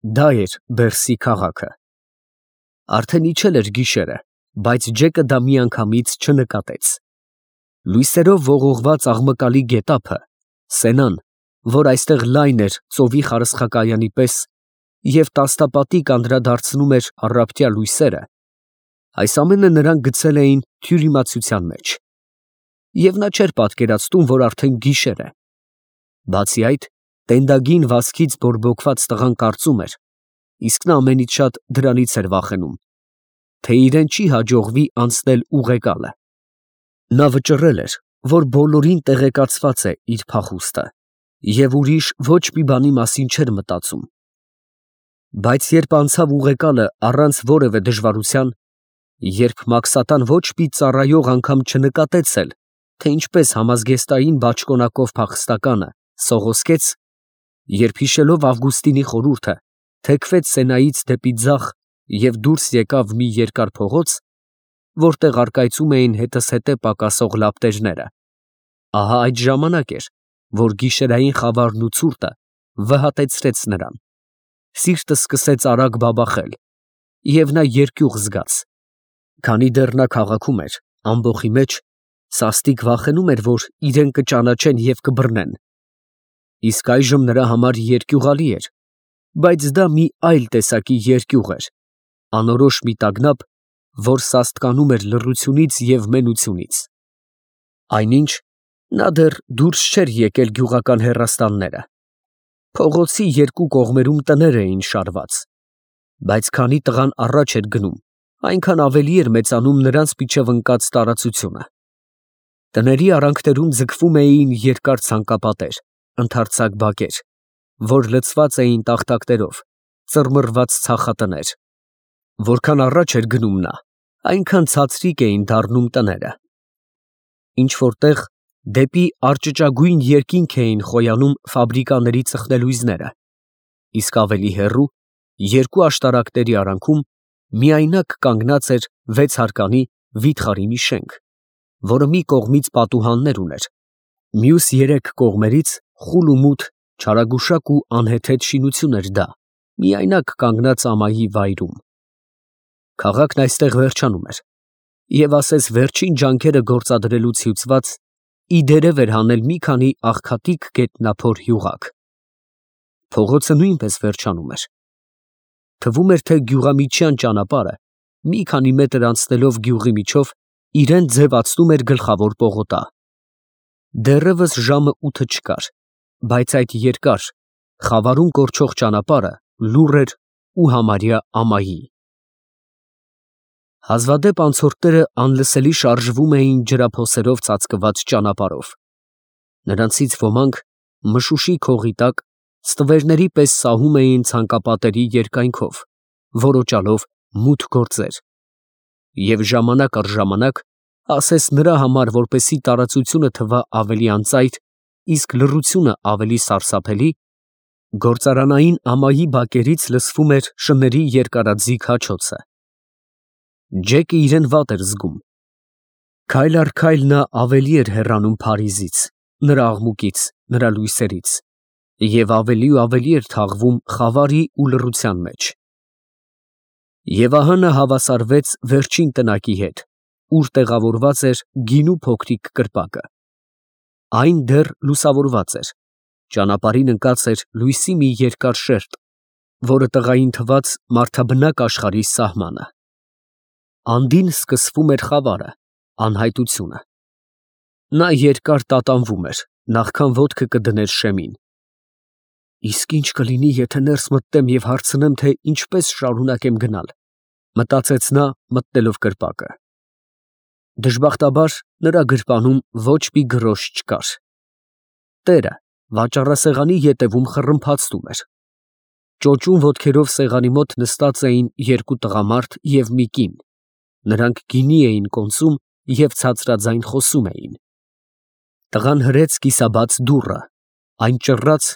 Դա էր Բերսի քաղաքը։ Արդեն իջել էր գիշերը, բայց Ջեկը դա միանգամից չնկատեց։ Լույսերով ողողված աղմկալի գետափը, Սենան, որ այստեղ լայն էր ծովի խարսխակայանի պես և տաստապատիկ անդրադարձնում էր առապտյա լույսերը, այս ամենը նրան գցել էին թյուրիմացության մեջ։ Եվ նա չէր պատկերացնում, որ արդեն գիշեր է։ Բացի այդ, տենդագին վազքից բորբոքված տղան կարծում էր, իսկ նա ամենից շատ դրանից էր վախենում, թե իրեն չի հաջողվի անցնել ուղեկալը։ Նա վճռել էր, որ բոլորին տեղեկացված է իր փախուստը և ուրիշ ոչ մի բանի մասին չէր մտածում։ Բայց երբ անցավ ուղեկալը առանց որևէ դժվարության, երբ Մաքսատան ոչ մի ծառայող անգամ չնկատեց էլ, թե ինչպես համազգեստային բաճկոնակով փախստականը սողոսկեց, երբ հիշելով Ավգուստինի խորհուրդը, թեքվեց Սենայից դեպի ձախ և դուրս եկավ մի երկար փողոց, որտեղ առկայծում էին հետզհետե պակասող լապտերները, ահա այդ ժամանակ էր, որ գիշերային խավարն ու ցուրտը վհատեցրեց նրան, սիրտը սկսեց արագ բաբախել, և նա երկյուղ զգաց, քանի դեռ նա քաղաքում էր, ամբոխի մեջ, սաստիկ վախենում էր, որ իրեն կճանաչեն և կբռնեն, իսկ այժմ նրա համար երկյուղալի էր, բայց դա մի այլ տեսակի երկյուղ էր, անորոշ մի տագնապ, որ սաստկանում էր լռությունից և մենությունից։ Այնինչ, նա դեռ դուրս չէր եկել գյուղական հեռաստանները, փողոցի երկու կողմերում տներ էին շարված, բայց քանի տղան առաջ էր գնում, այնքան ավելի էր մեծանում նրանց միջև ընկած տարածությունը։ Տների արանքներում ձգվում էին երկար ցանկապատեր, ընդարձակ բակեր, որ լցված էին տախտակներով, ծռմռված ցախատներ։ Որքան առաջ էր գնում նա, այնքան ցածրիկ էին դառնում տները։ Ինչ֊որ տեղ դեպի արճճագույն երկինք էին խոյանում ֆաբրիկաների ծխնելույզները, իսկ ավելի հեռու, երկու աշտարակների արանքում, միայնակ կանգնած էր 6 հարկանի վիթխարի մի շենք, որը մի կողմից պատուհաններ ուներ, մյուս 3 կողմերից խուլ ու մութ, չարագուշակ ու անհեթեթ շինություն էր դա, միայնակ կանգնած ամայի վայրում։ Քաղաքն այստեղ վերջանում էր, և ասես վերջին ջանքերը գործադրելուց հյուծված, ի դերև էր հանել մի քանի աղքատիկ գետնափոր յուղակ։ Փողոցը նույնպես վերջանում էր։ Թվում էր, թե գյուղամիջյան ճանապարհը, մի քանի մետր անցնելով գյուղի միջով, իրան ձևացնում էր գլխավոր պողոտա։ Դեռևս ժամը 8 չկար, բայց այդ երկար, խավարում կորչող ճանապարհը լուռ էր ու համարյա ամայի։ Հազվադեպ անցորդները անլսելի շարժվում էին ջրափոսերով ծածկված ճանապարհով։ Նրանցից ոմանք մշուշի քողի տակ ստվերների պես սահում էին ցանկապատերի երկայնքով, որոճալով մութ գործեր, և ժամանակ առ ժամանակ, ասես նրա համար, որպեսզի տարածությունը թվա ավելի անծայր, իսկ լռությունը ավելի սարսափելի, գործարանային ամայի բակերից լսվում էր շների երկարաձիգ հաչոցը։ Ջեկը իրեն վատ էր զգում։ Քայլ առ քայլ նա ավելի էր հեռանում Փարիզից, նրա աղմուկից, նրա լույսերից, և ավելի ու ավելի էր թաղվում խավարի ու լռության մեջ։ Եվ ահա նա հավասարվեց վերջին տնակի հետ, ուր տեղավորված էր գինու փոքրիկ կրպակը։ Այն դեռ լուսավորված էր, ճանապարհին ընկած էր լույսի մի երկար շերտ, որը տղային թվաց մարդաբնակ աշխարհի սահմանը։ Անդին սկսվում էր խավարը, անհայտությունը։ Նա երկար տատանվում էր, նախքան ոտքը կդներ շեմին։ Իսկ ինչ կլինի, եթե ներս մտնեմ և հարցնեմ, թե ինչպես շարունակեմ գնալ, մտածեց նա, մտնելով կրպակը։ Դժբախտաբար նրա գրպանում ոչ մի գրոշ չկար։ Տերը վաճառասեղանի ետևում խռմփացնում էր։ Ճոճուն ոտքերով սեղանի մոտ նստած էին 2 տղամարդ և մի կին, նրանք գինի էին կոնծում և ցածրաձայն խոսում էին։ Տղան հրեց կիսաբաց դուռը, այն ճռռաց,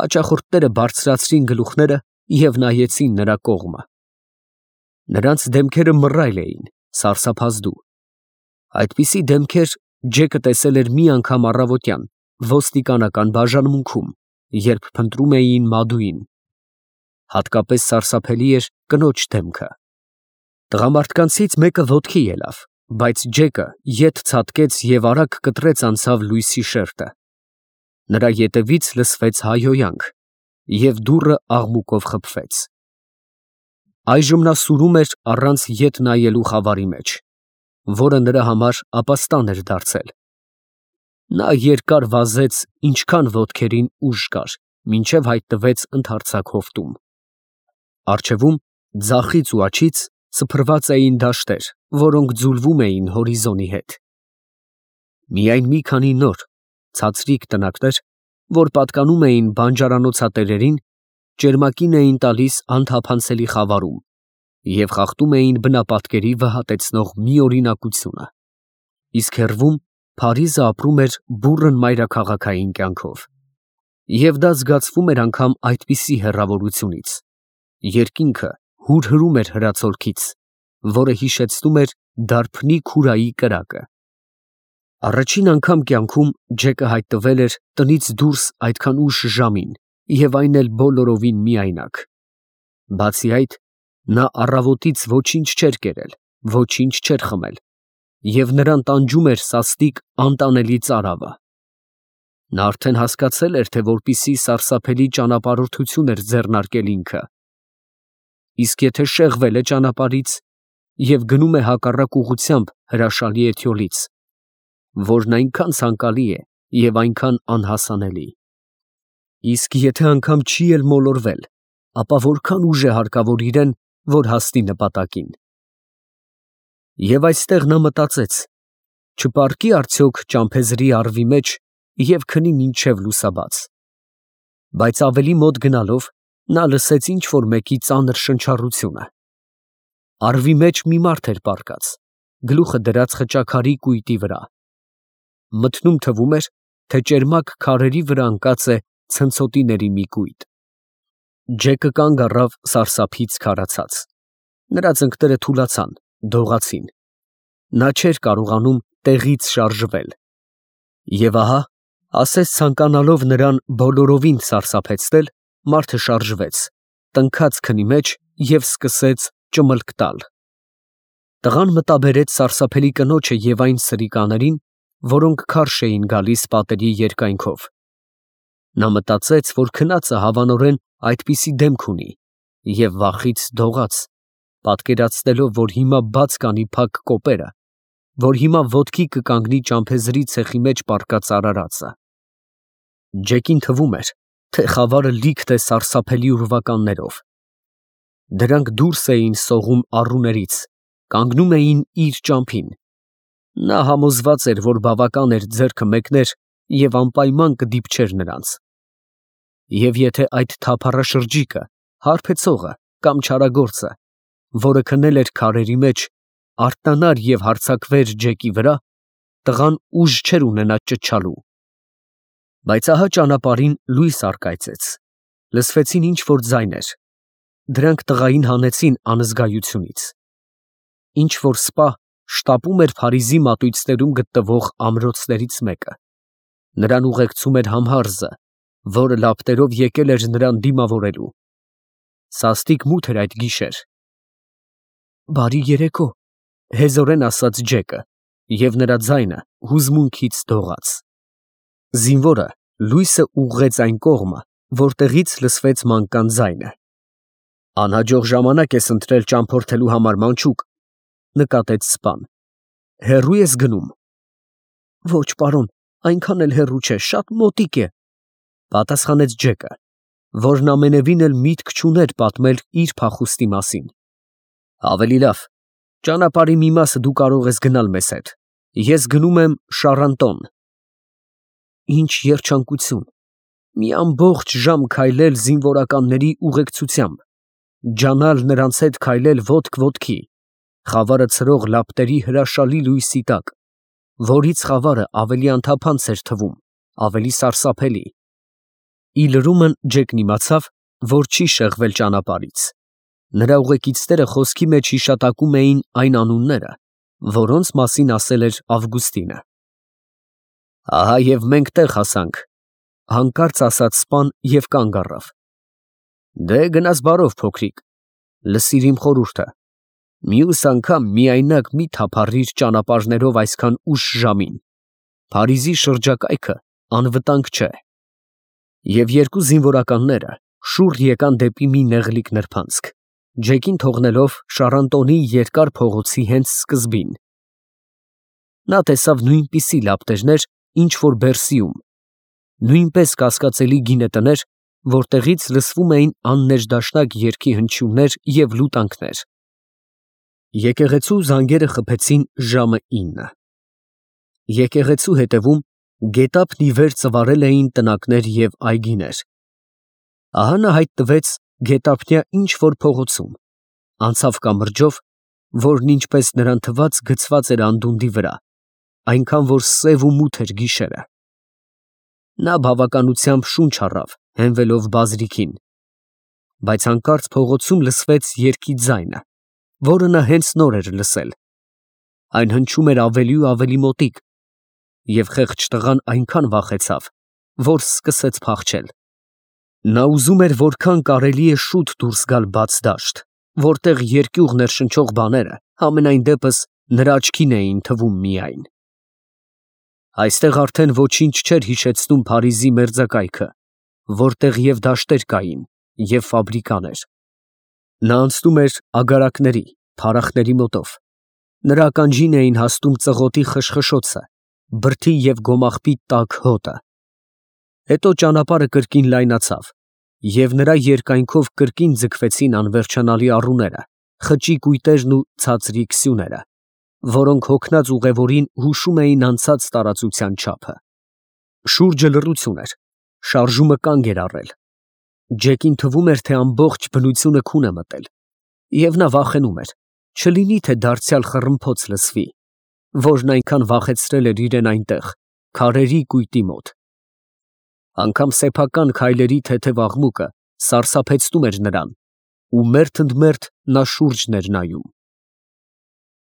հաճախորդները բարձրացրին գլուխները և նայեցին նրա կողմը։ Նրանց դեմքերը մռայլ էին, սարսափազդու։ Այդպիսի դեմքեր Ջեկը տեսել էր մի անգամ առավոտյան ոստիկանական բաժանմունքում, երբ փնտրում էին Մադուին։ Հատկապես սարսափելի էր կնոջ դեմքը։ Տղամարդկանցից մեկը ոտքի ելավ, բայց Ջեկը ետ ցատկեց և արագ կտրեց անցավ լույսի շերտը։ Նրա ետևից լսվեց հայհոյանք, և դուռը աղմուկով խփվեց։ Այժմ նա սուրում էր առանց ետ նայելու խավարի մեջ, որը նրա համար ապաստան էր դարձել։ Նա երկար վազեց, ինչքան ոտքերին ուժ կար, մինչև հայտնվեց ընդարձակ հովտում։ Առջևում, ձախից ու աջից սփռված էին դաշտեր, որոնք ձուլվում էին հորիզոնի հետ։ Միայն մի քանի նոր, ցածրիկ տնակներ, որ պատկանում էին բանջարանոցատերերին, ճերմակին էին տալիս անթափանցելի խավարում և խախտում էին բնապատկերի վհատեցնող մի օրինակությունը, իսկ հեռվում Փարիզը ապրում էր բուռն մայրաքաղաքային կյանքով։ Եվ դա զգացվում էր անգամ այդպիսի հեռավորությունից։ Երկինքը հուրհրում էր հրացոլքից, որը հիշեցնում էր դարբնի քուրայի կրակը։ Առաջին անգամ կյանքում Ջեկը հայտնվել էր տնից դուրս այդքան ուշ ժամին և այն էլ բոլորովին միայնակ։ Բացի այդ, նա առավոտից ոչինչ չէր կերել, ոչինչ չէր խմել, և նրան տանջում էր սաստիկ անտանելի ծարավը։ Նա արդեն հասկացել էր, թե որպիսի սարսափելի ճանապարհորդություն էր ձեռնարկել ինքը։ Իսկ եթե շեղվել է ճանապարհից և գնում է հակառակ ուղղությամբ հրաշալի էթյոլից, որն այնքան ցանկալի է և այնքան անհասանելի։ Իսկ եթե անգամ չի էլ մոլորվել, ապա որքան ուժ է հարկավոր իրեն, որ հասնի նպատակին։ Եվ այստեղ նա մտածեց. չպառկի արդյոք ճամփեզրի առվի մեջ և քնի մինչև լուսաբաց։ Բայց ավելի մոտ գնալով նա լսեց ինչ֊որ մեկի ծանր շնչառությունը։ Առվի մեջ մի մարդ էր պառկած, գլուխը դրած խճաքարի կույտի վրա։ Մթնում թվում էր, թե ճերմակ քարերի վրա ընկած է ցնցոտիների մի կույտ։ Ջեկը կանգ առավ սարսափից քարացած։ Նրա ծնկները թուլացան, դողացին։ Նա չէր կարողանում տեղից շարժվել։ Եվ ահա, ասես ցանկանալով նրան բոլորովին սարսափեցնել, մարդը շարժվեց, տնքաց քնի մեջ և սկսեց ճմլք տալ։ Տղան մտաբերեց սարսափելի կնոջը և այն սրիկաներին, որոնք քարշ էին գալիս պատերի երկայնքով։ Նա մտածեց, որ քնածը հավանորեն այդպիսի դեմք ունի, և վախից դողաց, պատկերացնելով, որ հիմա բաց կանի փակ կոպերը, որ հիմա ոտքի կկանգնի ճամփեզրի ցեխի մեջ պառկած արարածը։ Ջեկին թվում էր, թե խավարը լիքն է սարսափելի ուրվականներով։ Դրանք դուրս էին սողում առուներից, կանգնում էին իր ճամփին։ Նա համոզված էր, որ բավական էր ձեռքը մեկներ և անպայման կդիպչեր նրանց։ Եվ եթե այդ թափառաշրջիկը, հարբեցողը կամ չարագործը, որը քնել էր քարերի մեջ, արթնանար և հարձակվեր Ջեկի վրա, տղան ուժ չէր ունենա ճչալու։ Բայց ահա ճանապարհին լույս առկայծեց, լսվեցին ինչ֊որ ձայներ։ Դրանք տղային հանեցին անզգայությունից։ Ինչ֊որ սպա շտապում էր Փարիզի մատույցներում գտնվող ամրոցներից մեկը։ Նրան ուղեկցում էր համհարզը, որը լապտերով եկել էր նրան դիմավորելու։ Սաստիկ մութ էր այդ գիշեր։ «Բարի երեկո», հեզորեն ասաց Ջեկը, և նրա ձայնը հուզմունքից դողաց։ Զինվորը լույսը ուղղեց այն կողմը, որտեղից լսվեց մանկան ձայնը։ «Անհաջող ժամանակ ես ընտրել ճամփորդելու համար, մանչուկ», նկատեց սպան։ «Հեռու ես գնում»։ «Ոչ, պարոն, այնքան էլ հեռու չէ, շատ մոտիկ է», պատասխանեց Ջեկը, որն ամենևին էլ միտք չուներ պատմել իր փախուստի մասին։ «Ավելի լավ, ճանապարհի մի մասը դու կարող ես գնալ մեզ հետ, ես գնում եմ Շառանտոն»։ Ինչ երջանկություն, մի ամբողջ ժամ քայլել զինվորականների ուղեկցությամբ, ջանալ նրանց հետ քայլել ոտք ոտքի, խավարը ցրող լապտերի հրաշալի լույսի տակ, որից խավարը ավելի անթափանց էր թվում, ավելի սարսափելի։ Ի լրումն Ջեկն իմացավ, որ չի շեղվել ճանապարհից։ Նրա ուղեկիցները խոսքի մեջ հիշատակում էին այն անունները, որոնց մասին ասել էր Ավգուստինը։ «Ահա և մենք տեղ հասանք», հանկարծ ասաց սպան և կանգ առավ։ Դե գնաս բարով փոքրիկ, լսիր իմ խորհուրդը, մյուս անգամ միայնակ մի թափառիր ճանապարհներով այսքան ուշ ժամին, Փարիզի շրջակայքը անվտանգ չէ։ Եվ երկու զինվորականները շուռ եկան դեպի մի նեղլիկ նրբանցք, Ջեկին թողնելով Շառանտոնի երկար փողոցի հենց սկզբին։ Նա տեսավ նույնպիսի լապտերներ, ինչ որ Բերսիում, նույնպես կասկածելի գինետներ, որտեղից լսվում էին աններդաշնակ երգի հնչյուններ և լուտանքներ։ Եկեղեցու զանգերը խփեցին ժամը 9։ Եկեղեցու հետևում գետափն ի վեր ծվարել էին տնակներ և այգիներ։ Ահա նա հայտնվեց գետափնյա ինչ-որ փողոցում, անցավ կամրջով, որն ինչպես նրան թվաց գցված էր անդունդի վրա, այնքան որ սև ու մութ էր գիշերը։ Նա բավականությամբ շունչ առավ, հենվելով բազրիքին, բայց հանկարծ փողոցում լսվեց երգի ձայնը, որը նա հենց նոր էր լսել։ Այն հնչում էր ավելի ու ավելի մոտիկ, և խեղճ տղան այնքան վախեցավ, որ սկսեց փախչել։ Նա ուզում էր որքան կարելի է շուտ դուրս գալ բաց դաշտ, որտեղ երկյուղ ներշնչող բաները համենայն դեպս նրա աչքին էին թվում միայն։ Այստեղ արդեն ոչինչ չէր հիշեցնում Փարիզի մերձակայքը, որտեղ և դաշտեր կային, և ֆաբրիկաներ։ Նա անցնում էր ագարակների, փարախների մոտով, նրա ականջին էին հասնում ծղոտի խշխշոցը, բրդի և գոմաղբի տաք հոտը։ Հետո ճանապարհը կրկին լայնացավ, և նրա երկայնքով կրկին ձգվեցին անվերջանալի առուները, խճի կույտերն ու ցածրիկ սյուները, որոնք հոգնած ուղևորին հուշում էին անցած տարածության չափը։ Շուրջը լռություն էր, շարժումը կանգ էր առել։ Ջեկին թվում էր, թե ամբողջ բնությունը քուն է մտել, և նա վախենում էր, չլինի թե դարձյալ խռմփոց լսվի, որն այնքան վախեցրել էր իրեն այնտեղ, քարերի կույտի մոտ։ Անգամ սեփական քայլերի թեթև աղմուկը սարսափեցնում էր նրան, ու մերթ ընդ մերթ նա շուրջն էր նայում։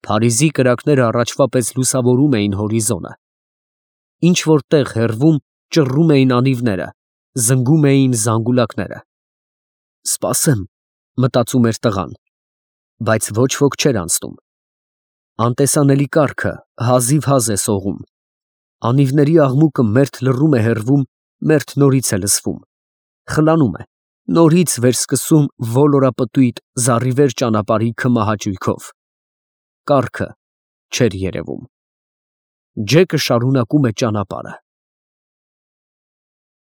Փարիզի կրակները առաջվա պես լուսավորում էին հորիզոնը։ Ինչ֊որ տեղ հեռվում ճռռում էին անիվները, զնգում էին զանգուլակները։ «Սպասեմ», մտածում էր տղան, բայց ոչ ոք չէր անցնում։ Անտեսանելի կառքը հազիվհազ է սողում։ Անիվների աղմուկը մերթ լռում է հեռվում, մերթ նորից է լսվում, խլանում է, նորից վերսկսում ոլորապտույտ զառիվեր ճանապարհի քմահաճույքով։ Կառքը չէր երևում։ Ջեկը շարունակում է ճանապարհը։